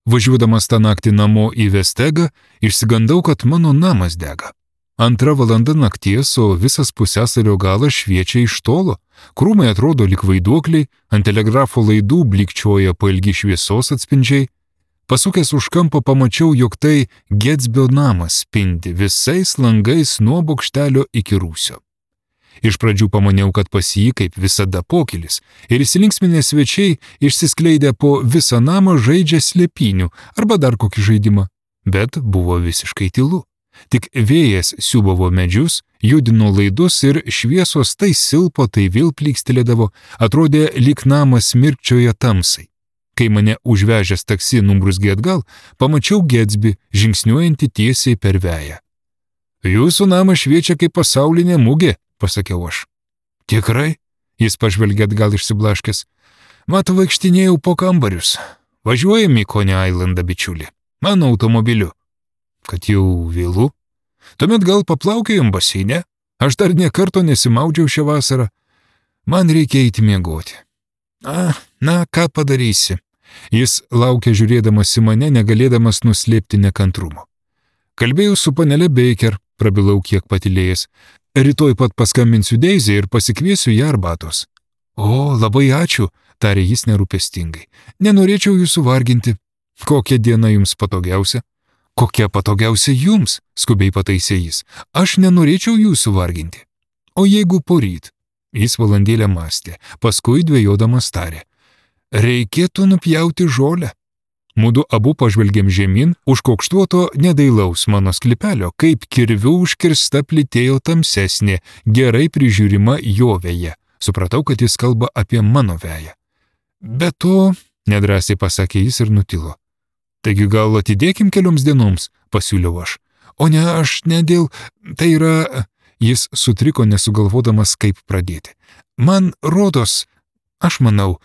Važiuodamas tą naktį namo į Vestegą, išsigandau, kad mano namas dega. 2 valanda nakties, o visas pusiasalio galas šviečia iš tolo. Krūmai atrodo lyg vaiduokliai, ant telegrafo laidų blikčioja pailgi šviesos atspindžiai. Pasukęs už kampo pamačiau, jog tai Getsbio namas spindi visais langais nuo bokštelio iki rūsio. Iš pradžių pamaniau, kad pas jį kaip visada pokylis, ir įsilinksminę svečiai išsiskleidę po visą namą žaidžia slėpynių arba dar kokį žaidimą, bet buvo visiškai tylu. Tik vėjas siūbavo medžius, judino laidus ir šviesos tai silpo, tai vėl plykstelėdavo, atrodė lyg namas mirkčioja tamsai. Kai mane užvežęs taksi numbrusgė atgal, pamačiau Getsbį, žingsniuojantį tiesiai per veją. Jūsų namas šviečia kaip pasaulinė mugė, pasakiau aš. Tikrai? Jis pažvelgė atgal išsiblaškęs. Matau, vaikštinėjau po kambarius. Važiuojam į Coney Islandą, bičiuli. Mano automobiliu. Kad jau vėlu? Tuomet gal paplaukėjom baseine? Aš dar nė karto nesimaudžiau šią vasarą. Man reikia eiti miegoti. Na, ką padarysi? Jis laukė žiūrėdamas į mane, negalėdamas nuslėpti nekantrumo. Kalbėjau su panelė Baker, prabilau kiek patylėjęs. Rytoj pat paskambinsiu Deizai ir pasikviesiu ją arbatos. O, labai ačiū, tarė jis nerūpestingai. Nenorėčiau jūsų varginti. Kokia diena jums patogiausia? Kokia patogiausia jums, skubiai pataisė jis. Aš nenorėčiau jūsų varginti. O jeigu poryt? Jis valandėlę mąstė, paskui dvejodamas tarė. Reikėtų nupjauti žolę. Mudu abu pažvelgėm žemyn, už kokštuoto nedailaus mano sklypelio, kaip kirviu užkirsta plytėjo tamsesnė, gerai prižiūrima jo veja. Supratau, kad jis kalba apie mano veją. Be to, nedrąsiai pasakė jis ir nutilo. Taigi gal atidėkim kelioms dienoms, pasiūliau aš. O ne, aš ne dėl, tai yra... Jis sutriko nesugalvodamas, kaip pradėti. Man rodos, aš manau,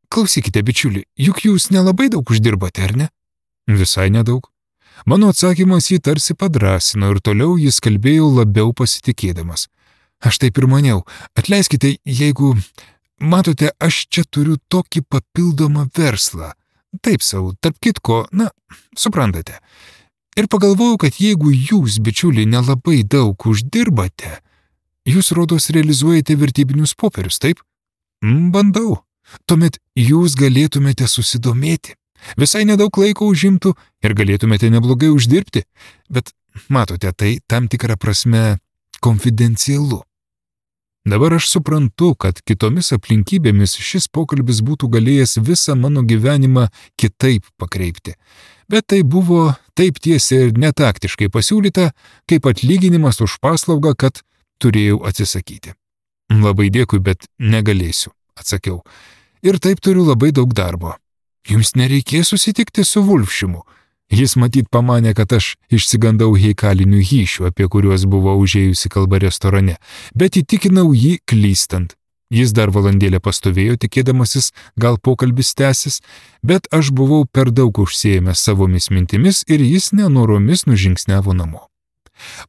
klausykite, bičiuli, juk jūs nelabai daug uždirbate, ar ne? Visai nedaug. Mano atsakymas jį tarsi padrasino ir toliau jis kalbėjo labiau pasitikėdamas. Aš taip ir maniau, atleiskite, jeigu... Matote, aš čia turiu tokį papildomą verslą. Taip savo, tarp kitko, suprantate. Ir pagalvojau, kad jeigu jūs, bičiuliai, nelabai daug uždirbate, jūs rodos realizuojate vertybinius popierius, taip? Bandau. Tuomet jūs galėtumėte susidomėti. Visai nedaug laiko užimtų ir galėtumėte neblogai uždirbti. Bet, matote, tai tam tikrą prasme konfidencialu. Dabar aš suprantu, kad kitomis aplinkybėmis šis pokalbis būtų galėjęs visą mano gyvenimą kitaip pakreipti. Bet tai buvo taip tiesiai ir netaktiškai pasiūlyta, kaip atlyginimas už paslaugą, kad turėjau atsisakyti. Labai dėkui, bet negalėsiu, atsakiau. Ir taip turiu labai daug darbo. Jums nereikės susitikti su Vulfšimu. Jis matyt pamanė, kad aš išsigandau heikalinių hyšių, apie kuriuos buvo užėjusi kalba restorane, bet įtikinau jį klystant. Jis dar valandėlę pastovėjo, tikėdamasis, gal pokalbis tęsis, bet aš buvau per daug užsiėmęs savomis mintimis ir jis nenoromis nužingsniavo namo.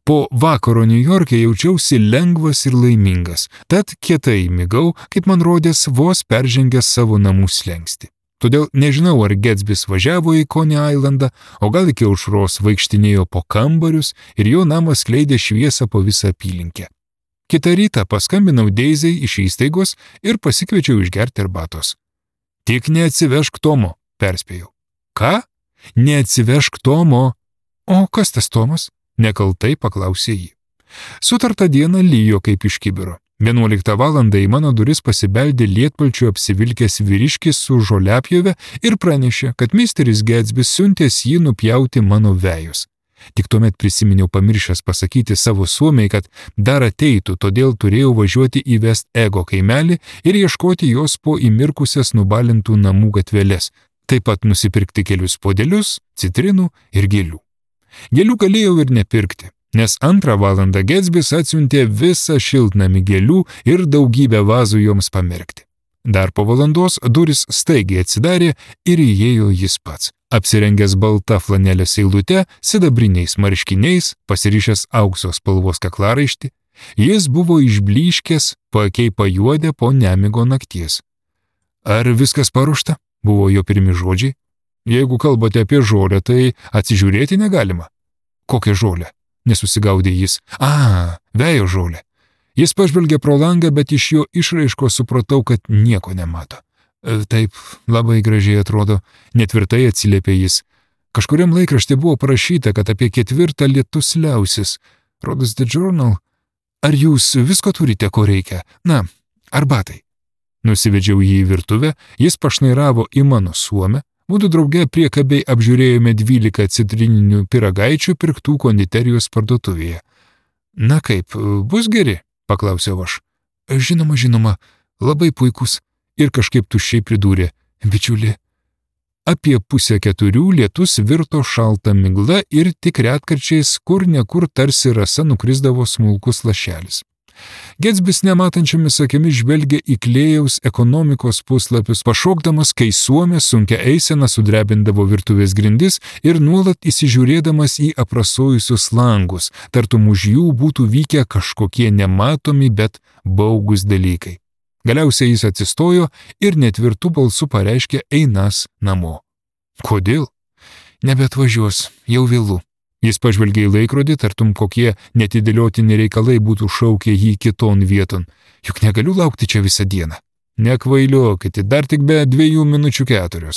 Po vakaro Niujorke jaučiausi lengvas ir laimingas, tad kietai migau, kaip man rodės, vos peržengęs savo namų slenkstį. Todėl nežinau, ar Getsbis važiavo į Coney Islandą, o gal iki aušros vaikštinėjo po kambarius ir jo namas skleidė šviesą po visą apylinkę. Kitą rytą paskambinau Deizai iš įstaigos ir pasikviečiau išgerti arbatos. Tik neatsivežk Tomo, perspėjau. Ką? Neatsivežk Tomo. O kas tas Tomas? Nekaltai paklausė jį. Sutartą dieną lijo kaip iš kibiro. 11 valandą į mano duris pasibeldė lietpalčiu apsivilkęs vyriškis su žoliapjove ir pranešė, kad misteris Getsbis siuntęs jį nupjauti mano vejus. Tik tuomet prisiminiau pamiršęs pasakyti savo suomiai, kad dar ateitų, todėl turėjau važiuoti į West Ego kaimelį ir ieškoti jos po įmirkusias nubalintų namų gatveles, taip pat nusipirkti kelius puodelius, citrinų ir gėlių. Gėlių galėjau ir nepirkti, nes 2 valandą Getsbis atsiuntė visą šiltnamį gėlių ir daugybę vazų joms pamerkti. Dar po valandos duris staigiai atsidarė ir įėjo jis pats. Apsirengęs balta flanelės eilute, sidabriniais marškiniais, pasirišęs aukso spalvos kaklaraištį, jis buvo išblyškęs, paakiai pajuodę po nemigo nakties. Ar viskas paruošta? Buvo jo pirmi žodžiai. Jeigu kalbate apie žolę, tai atsižiūrėti negalima. Kokią žolę? Nesusigaudė jis. Vėjo žolė. Jis pažvelgė pro langą, bet iš jo išraiško supratau, kad nieko nemato. Taip, labai gražiai atrodo, netvirtai atsiliepė jis. Kažkuriam laikraštį buvo parašyta, kad apie 4 lietus liausis. Rodos The Journal. Ar jūs visko turite, ko reikia? Na, arbatai. Nusivedžiau jį į virtuvę, jis pašnairavo į mano suomę. Mūdu drauge priekabiai apžiūrėjome 12 citrininių pyragaičių pirktų konditerijos parduotuvėje. Na kaip, bus geri? Paklausiau aš. Žinoma, labai puikus. Ir kažkaip tuščiai pridūrė. Bičiuli. Apie 3:30 lietus virto šalta migla ir tik retkarčiais kur nekur tarsi rasa nukrisdavo smulkus lašelis. Getsbis nematančiomis akimis žvelgė į Klėjaus ekonomikos puslapius, pašokdamas, kai suomė sunkia eisena sudrebindavo virtuvės grindis ir nuolat įsižiūrėdamas į aprasojusius langus, tartum už jų būtų vykę kažkokie nematomi, bet baugus dalykai. Galiausiai jis atsistojo ir netvirtų balsų pareiškė einas namo. Kodėl? Nebeatvažiuos, jau vėlu. Jis pažvelgė į laikrodį, tartum kokie netidėliotini reikalai būtų šaukę jį kiton vieton. Juk negaliu laukti čia visą dieną. Nekvailiokite, dar tik be 2 minučių 4.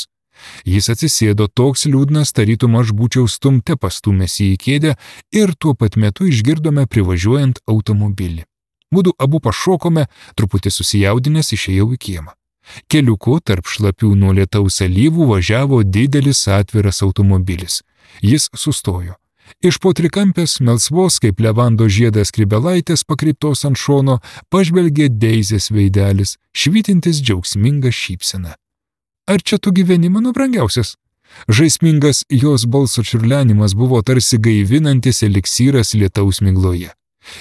Jis atsisėdo toks liūdnas, tarytum aš būčiau stumte pastumęs į kėdę ir tuo pat metu išgirdome privažiuojant automobilį. Mūdu abu pašokome, truputį susijaudinęs išėjau į kiemą. Keliuku tarp šlapių nuo lietaus alyvų važiavo didelis atviras automobilis. Jis sustojo. Iš po trikampės melsvos kaip levando žiedas skrybelaitės pakreiptos ant šono pažvelgė Deizės veidelis, švytintis džiaugsmingą šypseną. Ar čia tu gyveni, mano brangiausias? Žaismingas jos balso čiurlenimas buvo tarsi gaivinantis eliksyras lietaus migloje.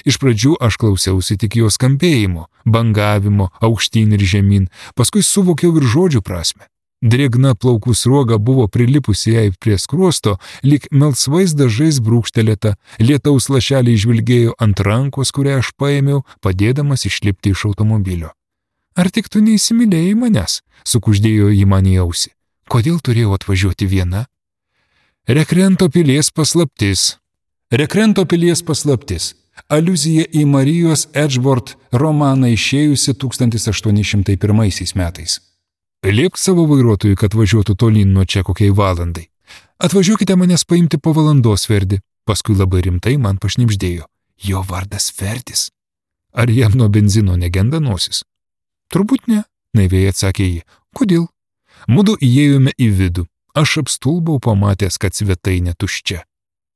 Iš pradžių aš klausiausi tik jos skambėjimo, bangavimo, aukštyn ir žemyn, paskui suvokiau ir žodžių prasme. Drėgna plaukų sruoga buvo prilipusi jai prie skruosto, lyg melsvais dažais brūkštelėta, lietaus lašeliai žvilgėjo ant rankos, kurią aš paėmiau, padėdamas išlipti iš automobilio. Ar tik tu neįsimylėjai manęs? Sukuždėjo jį man į ausį. Kodėl turėjau atvažiuoti viena? Rekrento pilies paslaptis. Rekrento pilies paslaptis. Aliuzija į Marijos Edgeworth romaną išėjusi 1801 metais. Liepk savo vairuotojui, kad važiuotų tolyn nuo čia kokiai valandai. Atvažiuokite manęs paimti po valandos, Verdi. Paskui labai rimtai man pašnibždėjo. Jo vardas Verdis. Ar jam nuo benzino negenda nosis? Turbūt ne, naiviai atsakė ji. Kodėl? Mudu įėjome į vidų. Aš apstulbau pamatęs, kad svetainė tuščia.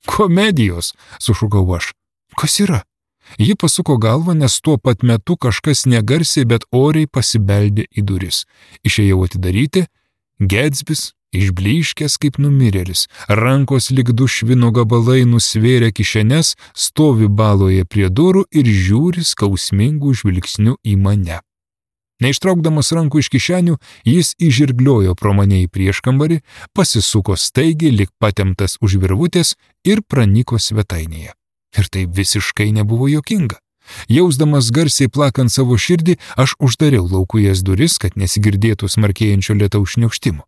Komedijos, sušukau aš. Kas yra? Ji pasuko galvą, nes tuo pat metu kažkas negarsiai, bet oriai pasibeldė į duris. Išėjau atidaryti, Getsbis, išblyškęs kaip numirėlis, rankos lyg 2 švino gabalai nusvėrė kišenes, stovi baloje prie durų ir žiūri skausmingų žvilgsnių į mane. Neištraukdamas rankų iš kišenių, jis įžirgliojo pro mane į prieškambarį, pasisuko staigiai, lyg patemptas už virvutės ir pranyko svetainėje. Ir tai visiškai nebuvo juokinga. Jausdamas garsiai plakant savo širdį, aš uždariau laukujas duris, kad nesigirdėtų smarkėjančio lietaus šniokštimo.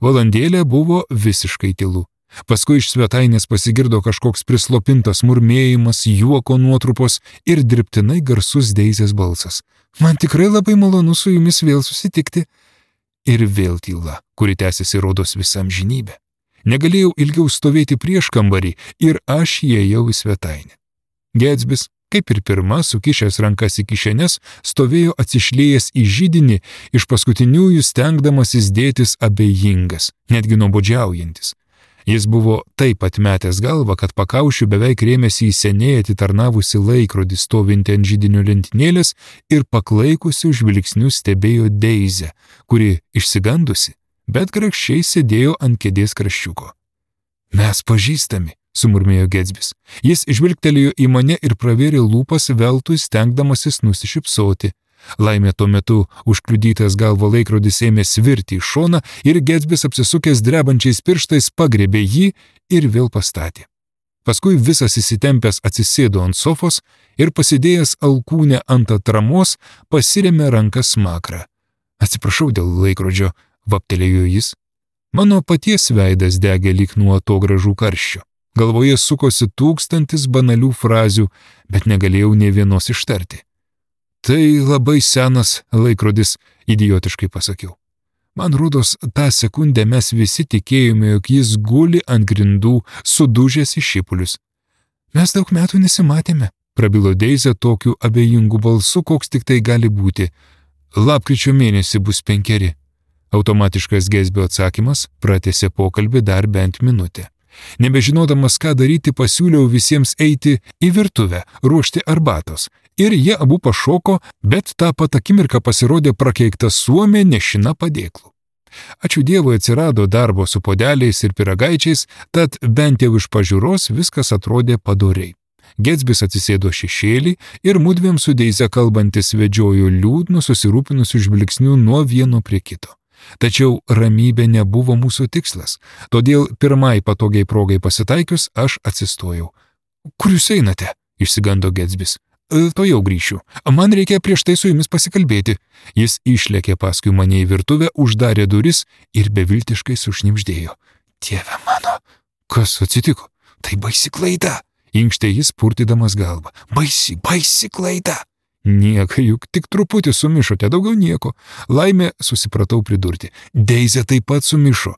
Valandėlė buvo visiškai tylu. Paskui iš svetainės pasigirdo kažkoks prislopintas murmėjimas, juoko nuotrupos ir dirbtinai garsus Deizės balsas. Man tikrai labai malonu su jumis vėl susitikti. Ir vėl tyla, kuri tęsiasi rodos visą amžinybę. Negalėjau ilgiau stovėti prieš kambarį ir aš įėjau į svetainę. Getsbis, kaip ir pirma, sukišęs rankas į kišenes, stovėjo atsišliejęs į židinį, iš paskutiniųjų stengdamasis dėtis abejingas, netgi nuobodžiaujantis. Jis buvo taip atmetęs galvą, kad pakaušiu beveik rėmėsi į seniai atitarnavusi laikrodį stovintį ant židinio lentynėlės ir paklaikusių žvilgsnių stebėjo Deizę, kuri išsigandusi, bet grakščiai sėdėjo ant kėdės kraščiuko. Mes pažįstami, sumurmėjo Getsbis. Jis žvilgtelėjo į mane ir pravėrė lūpas veltui stengdamasis nusišypsoti. Laimė tuo metu užkliudytas galvo laikrodis ėmė svirti į šoną ir Getsbis apsisukęs drebančiais pirštais pagriebė jį ir vėl pastatė. Paskui visas įsitempęs atsisėdo ant sofos ir pasidėjęs alkūnę ant atramos pasirėmė ranką smakrą. Atsiprašau dėl laikrodžio, vaptelėjo jis. Mano paties veidas degė lyg nuo atogražų karščio. Galvoje sukosi 1000 banalių frazių, bet negalėjau nė vienos ištarti. Tai labai senas laikrodis, idiotiškai pasakiau. Man rodos, tą sekundę mes visi tikėjome, jog jis guli ant grindų, sudužęs į šipulius. Mes daug metų nesimatėme, prabilo Deizė tokiu abejingu balsu, koks tik tai gali būti. Lapkričio mėnesį bus 5. Automatiškas Getsbio atsakymas pratęsė pokalbį dar bent minutę. Nebežinodamas, ką daryti, pasiūliau visiems eiti į virtuvę, ruošti arbatos. Ir jie abu pašoko, bet tą pat akimirką pasirodė prakeikta suomė nešina padėklų. Ačiū Dievui atsirado darbo su podeliais ir pyragaičiais, tad bent jau iš pažiūros viskas atrodė padoriai. Getsbis atsisėdo šešėlį ir mudviem su Deize kalbantis vedžiojo liūdnu susirūpinusiu žvilgsniu nuo vieno prie kito. Tačiau ramybė nebuvo mūsų tikslas, todėl pirmai patogiai progai pasitaikius aš atsistojau. Kur jūs einate? Išsigando Getsbis. To jau grįšiu. Man reikia prieš tai su jumis pasikalbėti. Jis išlėkė paskui mane į virtuvę, uždarė duris ir beviltiškai sušnibždėjo. Dieve mano, kas atsitiko? Tai baisi klaida. Inkštė jis purtydamas galvą. Baisi klaida. Nieka, juk tik truputį sumišote, daugiau nieko. Laimė, susipratau pridurti. Deizė taip pat sumišo.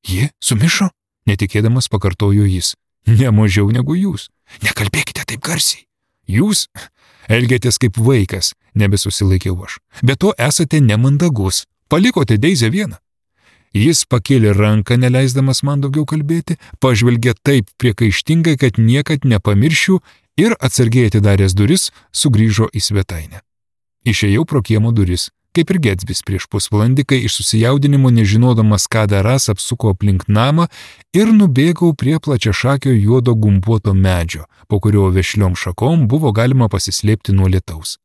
Ji sumišo? Netikėdamas pakartojo jis. Ne mažiau negu jūs. Nekalbėkite taip garsiai. Jūs elgėtės kaip vaikas, nebesusilaikiau aš. Be to esate nemandagus. Palikote Deizę vieną. Jis pakėlė ranką, neleisdamas man daugiau kalbėti, pažvelgė taip priekaištingai, kad niekad nepamiršiu ir atsargiai atidaręs duris, sugrįžo į svetainę. Išėjau pro kiemo duris, kaip ir Getsbis prieš pusvalandį, kai iš susijaudinimo nežinodamas, ką darąs, apsuko aplink namą ir nubėgau prie plačiašakio juodo gumbuoto medžio, po kurio vešliom šakom buvo galima pasislėpti nuo lietaus.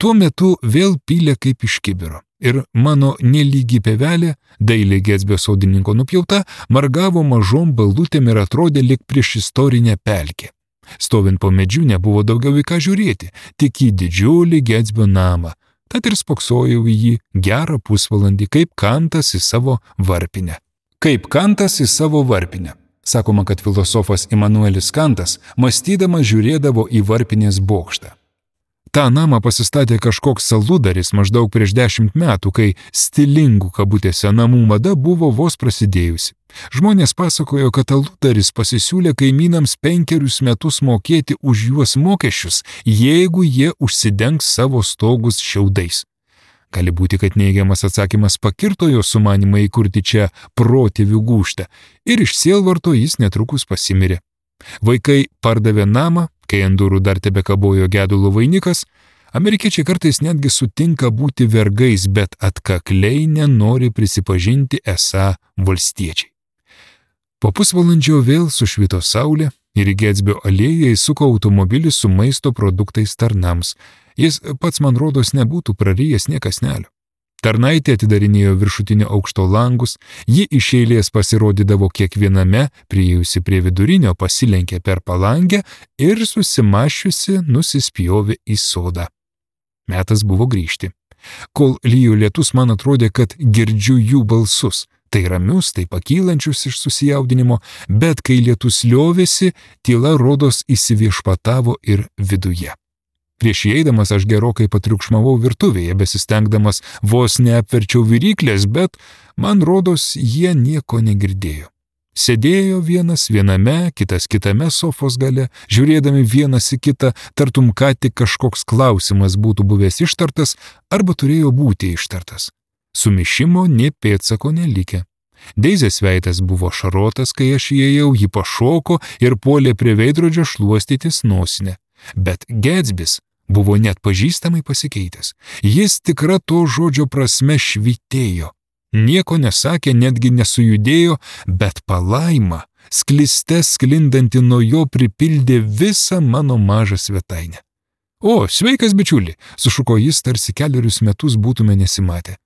Tuo metu vėl pylė kaip iš kibiro ir mano nelygi pievelė, dailiai Getsbio sodininko nupjauta, margavo mažom balutėm ir atrodė lyg prieš istorinę pelkę. Stovint po medžiu nebuvo daugiau į ką žiūrėti, tik į didžiulį Getsbio namą, tad ir spoksojau į jį gerą pusvalandį, kaip kantas į savo varpinę. Sakoma, kad filosofas Imanuelis Kantas, mąstydamas žiūrėdavo į varpinės bokštą. Ta namą pasistatė kažkoks saludaris maždaug prieš 10 metų, kai stilingų kabutėse namų mada buvo vos prasidėjusi. Žmonės pasakojo, kad saludaris pasisiūlė kaimynams 5 metus mokėti už juos mokesčius, jeigu jie užsidengs savo stogus šiaudais. Gali būti, kad neigiamas atsakymas pakirto jo sumanimą įkurti čia protėvių gūžtą ir iš sielvarto jis netrukus pasimirė. Vaikai pardavė namą, kai ant durų dar tebekabojo gedulo vainikas. Amerikiečiai kartais netgi sutinka būti vergais, bet atkakliai nenori prisipažinti esą valstiečiai. Po pusvalandžio vėl sušvito saulė ir į Getsbio alėją įsuko automobilis su maisto produktais tarnams. Jis pats, man rodos, nebūtų prarijęs nė kąsnelio. Tarnaitė atidarinėjo viršutinio aukšto langus, ji iš eilės pasirodydavo kiekviename, priėjusi prie vidurinio, pasilenkė per palangę ir susimašiusi nusispjovė į sodą. Metas buvo grįžti. Kol lijo lietus, man atrodė, kad girdžiu jų balsus, tai ramius, tai pakylančius iš susijaudinimo, bet kai lietus liovėsi, tyla rodos įsiviešpatavo ir viduje. Prieš įeidamas aš gerokai patriukšmavau virtuvėje, besistengdamas vos neapverčiau viryklės, bet, man rodos, jie nieko negirdėjo. Sėdėjo vienas viename, kitas kitame sofos gale, žiūrėdami vienas į kitą, tartum ką tik kažkoks klausimas būtų buvęs ištartas arba turėjo būti ištartas. Sumišimo nė pėdsako nelikę. Deizės veidas buvo šarotas, kai aš įėjau, ji pašoko ir puolė prie veidrodžio šluostytis nosinę. Bet Getsbis buvo net pažįstamai pasikeitęs. Jis tikra to žodžio prasme švytėjo. Nieko nesakė, netgi nesujudėjo, bet palaima, skliste sklindanti nuo jo, pripildė visą mano mažą svetainę. O, sveikas bičiuli, sušuko jis, tarsi 4 metus būtume nesimatę.